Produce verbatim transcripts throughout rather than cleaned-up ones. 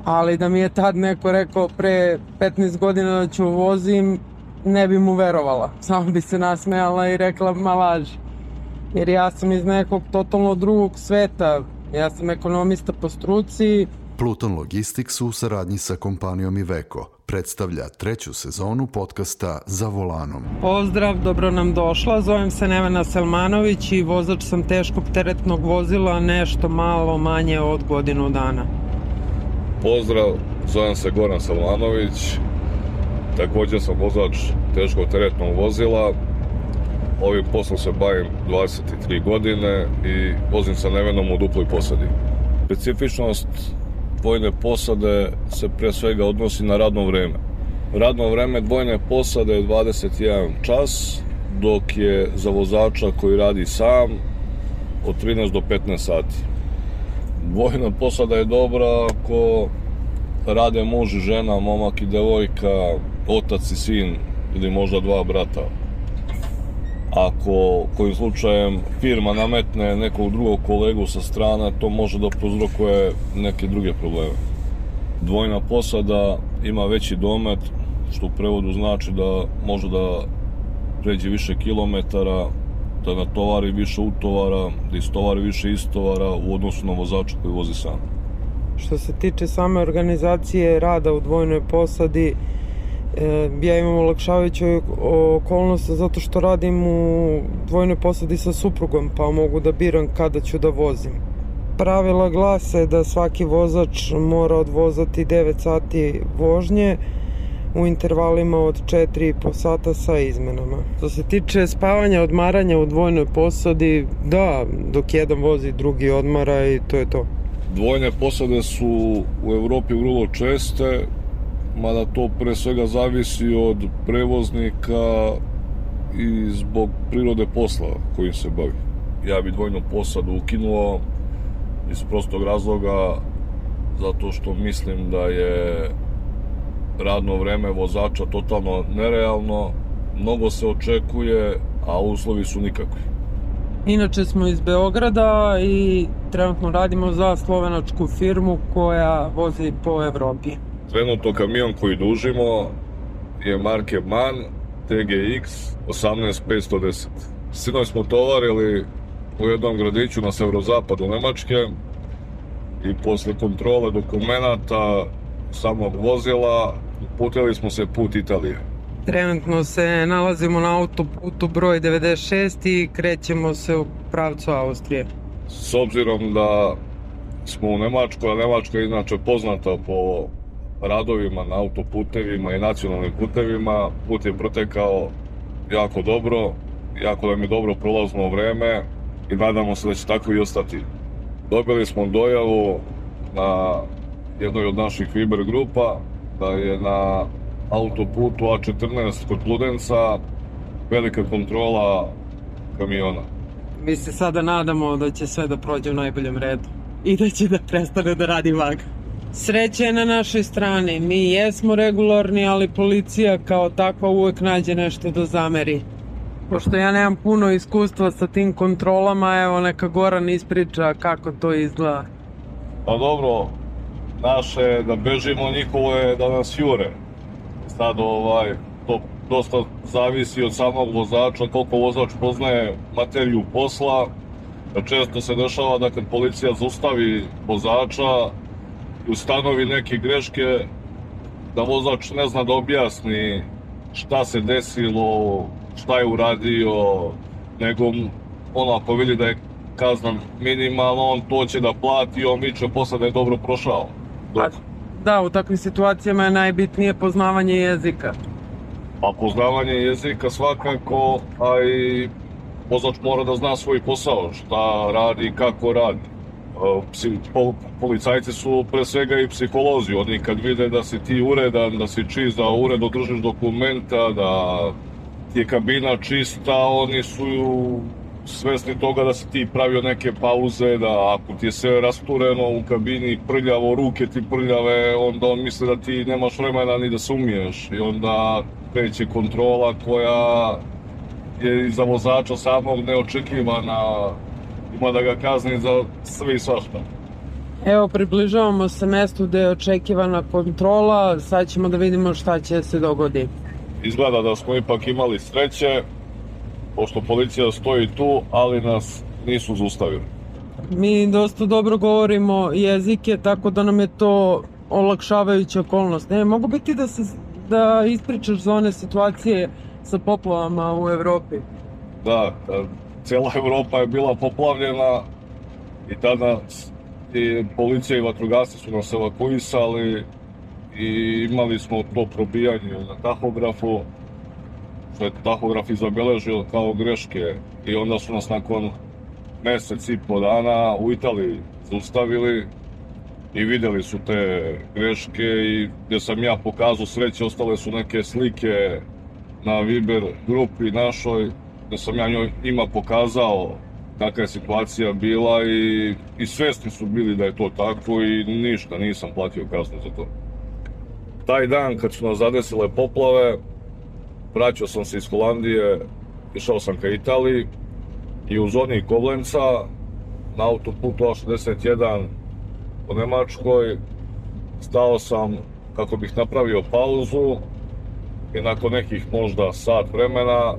Ali da mi je tad neko rekao pre petnaest godina da ću vozim, ne bi mu verovala. Samo bi se nasmejala i rekla ma laži. Jer ja sam iz nekog totalno drugog sveta. Ja sam ekonomista po struci. Pluton Logistics u saradnji sa kompanijom Iveco predstavlja treću sezonu podcasta Za volanom. Pozdrav, dobro nam došla. Zovem se Nevena Selmanović i vozač sam teškog teretnog vozila nešto malo manje od godinu dana. Pozdrav, zovem se Goran Selmanović. Također sam vozač teškog teretnog vozila. Ovim poslom se bavim dvadeset tri godine i vozim sa Nevenom u duploj posadi. Specifičnost dvojne posade se pre svega odnosi na radno vreme. Radno vreme dvojne posade je dvadeset jedan čas, dok je za vozača koji radi sam od trinaest do petnaest sati. Dvojna posada je dobra ako rade muž i žena, momak i devojka, otac i sin ili možda dva brata. Ako kojim slučajem firma nametne nekog drugog kolegu sa strane, to može da prouzrokuje neke druge probleme. Dvojna posada ima veći domet, što u prevodu znači da može da pređe više kilometara, da natovari više utovara, da istovari više istovara u odnosu na vozača koji vozi sam. Što se tiče same organizacije rada u dvojnoj posadi, ja imam olakšavajuću okolnost zato što radim u dvojnoj posadi sa suprugom, pa mogu da biram kada ću da vozim. Pravila glase da svaki vozač mora odvozati devet sati vožnje u intervalima od četiri i po sata sa izmenama. Što se tiče spavanja, odmaranja u dvojnoj posadi, da, dok jedan vozi, drugi odmara i to je to. Dvojne posade su u Evropi vrlo česte, mada to pre svega zavisi od prevoznika i zbog prirode posla kojim se bavi. Ja bi dvojnu posadu ukinuo iz prostog razloga zato što mislim da je radno vreme vozača totalno nerealno, mnogo se očekuje, a uslovi su nikakvi. Inače smo iz Beograda i trenutno radimo za slovenačku firmu koja vozi po Evropi. Trenutno kamion koji dužimo je marke MAN T G X osamnaest petsto deset. Sinoć smo tovarili u jednom gradiću na severozapadu Nemačke i posle kontrole dokumenata samog vozila uputili smo se put Italije. Trenutno se nalazimo na autoputu broj devedeset šest i krećemo se u pravcu Austrije. S obzirom da smo u Nemačkoj, a Nemačka je inače poznata po radovima na autoputevima i nacionalnim putevima, put je protekao jako dobro, jako nam je dobro prolazno vreme i nadamo se da će tako i ostati. Dobili smo dojavu na jednoj od naših Viber grupa da je na autoputu A četrnaest kod Pludenca velika kontrola kamiona. Mi se sada nadamo da će sve da prođe u najboljem redu i da će da prestane da radi vaga. Sreća je na našoj strani, mi jesmo regularni, ali policija kao takva uvek nađe nešto da zameri. Pošto ja nemam puno iskustva sa tim kontrolama, evo neka Goran ispriča kako to izgleda. Pa dobro, naše da bežimo, njihovo je da nas jure. Sad ovaj, to dosta zavisi od samog vozača, koliko vozač poznaje materiju posla. Često se dešava da kad policija zaustavi vozača i ustanovi neke greške, da vozač ne zna da objasni šta se desilo, šta je uradio, nego ono ako vidi da je kazna minimalna, on to će da plati i on viče posle da je dobro prošao. Dok... Da, u takvim situacijama je najbitnije poznavanje jezika. Pa poznavanje jezika svakako, a i vozač mora da zna svoj posao, šta radi i kako radi. Policajci su pre svega i psiholozi, oni kad vide da si ti uredan, da si čist, da uredno držiš dokumenta, da ti je kabina čista, oni su svesni toga da si ti pravio neke pauze, da ako ti je sve rastureno u kabini, prljavo, ruke ti prljave, onda on misle da ti nemaš vremena ni da se umiješ i onda kreće kontrola koja je za vozača samog neočekivana, ima da ga kazni za sve i svašta. Evo, približavamo se mestu gde je očekivana kontrola, sad ćemo da vidimo šta će se dogodi. Izgleda da smo ipak imali sreće, pošto policija stoji tu, ali nas nisu zaustavili. Mi dosta dobro govorimo jezike, tako da nam je to olakšavajuća okolnost. Ne, mogu biti da, se, da ispričaš za one situacije sa poplavama u Evropi? Da, cijela Evropa je bila poplavljena i tada i policija i vatrogasci su nas evakuisali i imali smo to probijanje na tahografu, što je tahograf i zabeležio kao greške, i onda su nas nakon mesec i po dana u Italiji zaustavili i videli su te greške, i gdje sam ja pokazao sreće, ostale su neke slike na Viber grupi našoj, gdje sam ja njima pokazao kakva je situacija bila, i, i svesni su bili da je to tako, i ništa, nisam platio kaznu za to. Taj dan kad su nas zadesile poplave, vraćao sam se iz Holandije, išao sam ka Italiji, i u zoni Koblenca na autoputu A šezdeset jedan u Nemačkoj stao sam kako bih napravio pauzu, i nakon nekih možda sat vremena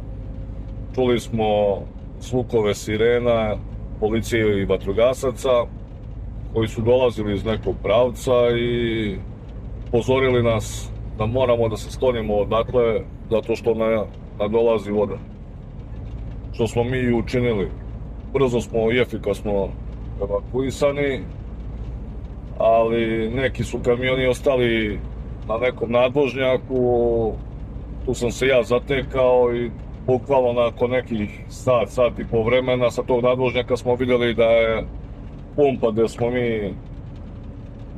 čuli smo zvukove sirena policije i vatrogasaca koji su dolazili iz nekog pravca i upozorili nas da moramo da se sklonimo odatle zato što nadolazi voda. Što smo mi i učinili. Brzo smo i efikasno evakuisani, ali neki su kamioni ostali na nekom nadvožnjaku. Tu sam se ja zatekao i bukvalno nakon nekih sat, sat i po vremena sa tog nadvožnjaka smo vidjeli da je pumpa gde smo mi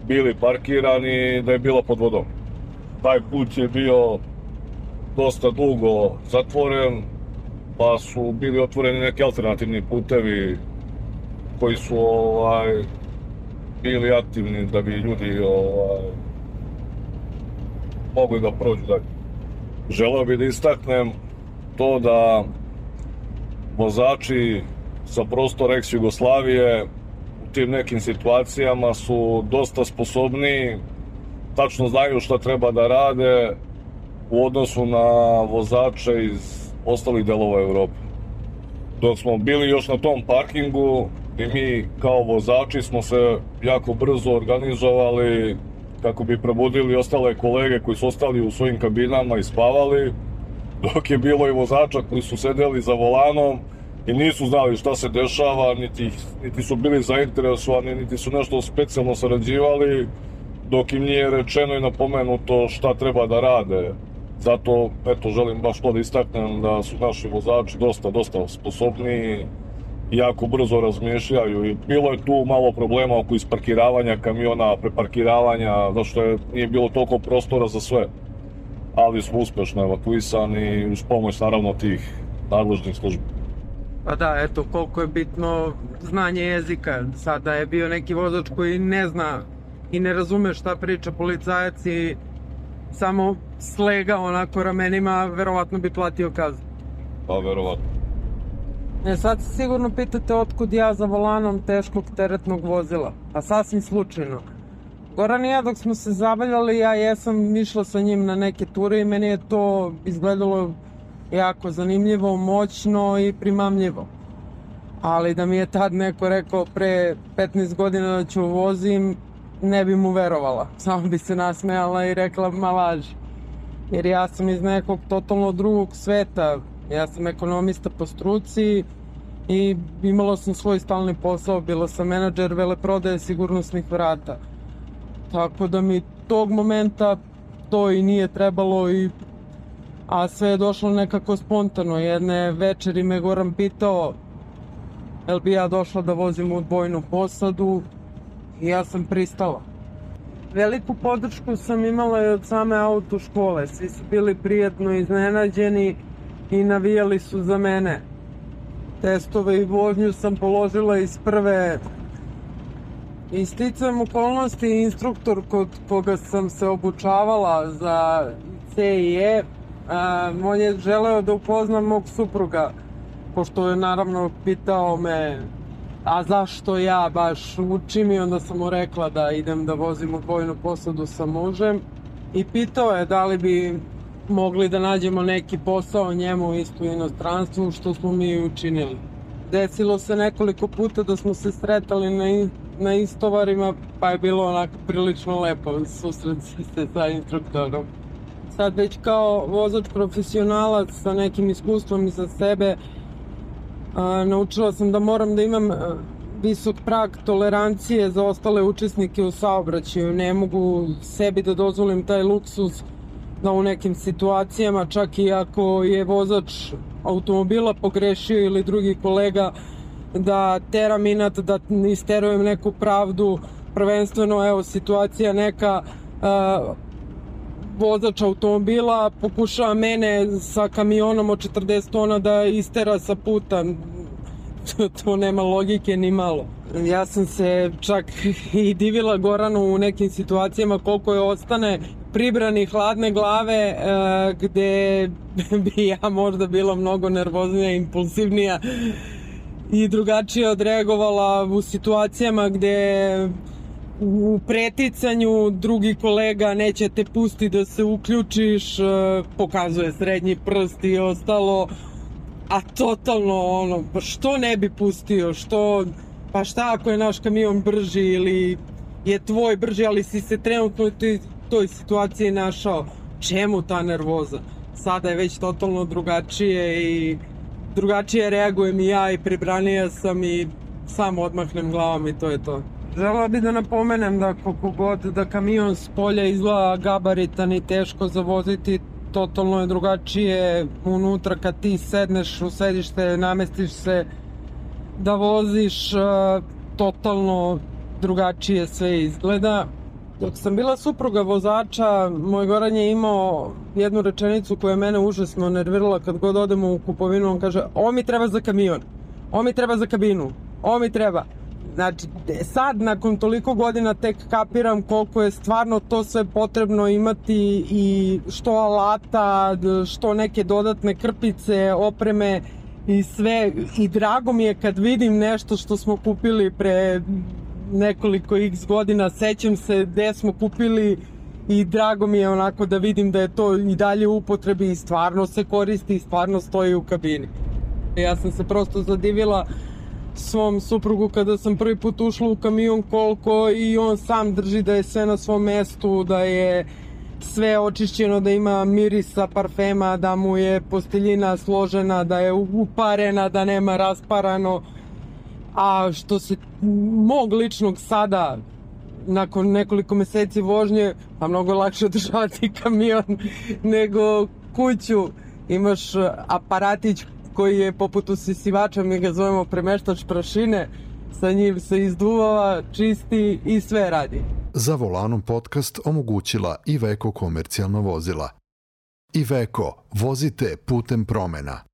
bili parkirani, da je bila pod vodom. Taj put je bio dosta dugo zatvoren, pa su bili otvoreni neki alternativni putevi koji su ovaj, bili aktivni da bi ljudi ovaj, mogli da prođu dalje. Želeo bih da istaknem to da vozači sa prostora ex-Jugoslavije u tim nekim situacijama su dosta sposobni, tačno znaju šta treba da rade u odnosu na vozače iz ostalih delova Evrope. Dok smo bili još na tom parkingu i mi kao vozači smo se jako brzo organizovali kako bi probudili ostale kolege koji su ostali u svojim kabinama i spavali, dok je bilo i vozača koji su sedeli za volanom i nisu znali šta se dešava, niti, niti su bili zainteresovani, niti su nešto specijalno sarađivali, dok im nije rečeno i napomenuto šta treba da rade. Zato, eto, želim baš to da istaknem da su naši vozači dosta, dosta sposobni i jako brzo razmišljaju. I bilo je tu malo problema oko isparkiravanja kamiona, preparkiravanja, zato što je, nije bilo toliko prostora za sve. Ali smo uspešno evakuisani uz pomoć, naravno, tih nadležnih službi. Pa da, eto, koliko je bitno znanje jezika. Sada je bio neki vozač koji ne zna i ne razume šta priča policajac i samo slega onako ramenima, verovatno bi platio kaznu. Pa, verovatno. E, sad se sigurno pitate otkud ja za volanom teškog teretnog vozila. Pa sasvim slučajno. Goran i ja dok smo se zabavljali, ja jesam išla sa njim na neke ture i meni je to izgledalo jako zanimljivo, moćno i primamljivo. Ali da mi je tad neko rekao pre petnaest godina da ću vozim, ne bi mu verovala. Samo bi se nasmejala i rekla ma laži. Jer ja sam iz nekog totalno drugog sveta. Ja sam ekonomista po struci i imala sam svoj stalni posao, bila sam menadžer veleprodaje sigurnosnih vrata. Tako da mi tog momenta to i nije trebalo, i a sve je došlo nekako spontano. Jedne večeri me Goran pitao jel bi ja došla da vozim u dvojnu posadu i ja sam pristala. Veliku podršku sam imala i od same auto škole. Svi su bili prijatno iznenađeni i navijali su za mene. Testove i vožnju sam položila iz prve. I sticajem okolnosti, instruktor kod koga sam se obučavala za C I E, a, on je želeo da upoznam mog supruga, pošto je naravno pitao me a zašto ja baš učim, i onda sam mu rekla da idem da vozim u dvojnu posadu sa mužem i pitao je da li bi mogli da nađemo neki posao njemu isto u inostranstvu, što smo mi učinili. Desilo se nekoliko puta da smo se sretali na, na istovarima, pa je bilo onako prilično lepo susret se sa instruktorom. Sad već kao vozač profesionalac sa nekim iskustvom iza sebe, a, naučila sam da moram da imam a, visok prag tolerancije za ostale učesnike u saobraćaju. Ne mogu sebi da dozvolim taj luksuz da u nekim situacijama, čak i ako je vozač automobila pogrešio ili drugi kolega, da teram inat, da isterujem neku pravdu. Prvenstveno, evo, situacija neka, uh, vozač automobila pokušava mene sa kamionom od četrdeset tona da istera sa puta. To nema logike ni malo. Ja sam se čak i divila Goranu u nekim situacijama koliko je ostane pribrani hladne glave, e, gde bi ja možda bila mnogo nervoznija, impulsivnija i drugačije odreagovala u situacijama gde u preticanju drugi kolega neće te pusti da se uključiš, e, pokazuje srednji prst i ostalo, a totalno ono, pa što ne bi pustio, što, pa šta ako je naš kamion brži ili je tvoj brži, ali si se trenutno u toj, toj situaciji našao, čemu ta nervoza? Sada je već totalno drugačije i drugačije reagujem i ja i pribranija sam i samo odmahnem glavom i to je to. Želela bih da napomenem da koliko god da kamion s polja izgleda gabaritan i teško za voziti, totalno je drugačije unutra kad ti sedneš u sedište, namestiš se da voziš, totalno drugačije sve izgleda. Dok sam bila supruga vozača, moj Goran je imao jednu rečenicu koja je mene užasno nervirala kad god odemo u kupovinu. On kaže, ovo mi treba za kamion, ovo mi treba za kabinu, ovo mi treba. Znači, sad nakon toliko godina tek kapiram koliko je stvarno to sve potrebno imati, i što alata, što neke dodatne krpice, opreme i sve. I drago mi je kad vidim nešto što smo kupili pre nekoliko x godina, sećam se gde smo kupili i drago mi je onako da vidim da je to i dalje u upotrebi i stvarno se koristi i stvarno stoji u kabini. Ja sam se prosto zadivila svom suprugu kada sam prvi put ušla u kamion koliko i on sam drži da je sve na svom mestu, da je sve očišćeno, da ima mirisa parfema, da mu je posteljina složena, da je uparena, da nema rasparano. A što se mog ličnog sada, nakon nekoliko meseci vožnje, pa mnogo lakše održavati kamion nego kuću. Imaš aparatić koji je poput usisivača, mi ga zovemo premeštač prašine, sa njim se izduvava, čisti i sve radi. Za volanom podcast omogućila Iveco komercijalna vozila. Iveco, vozite putem promena.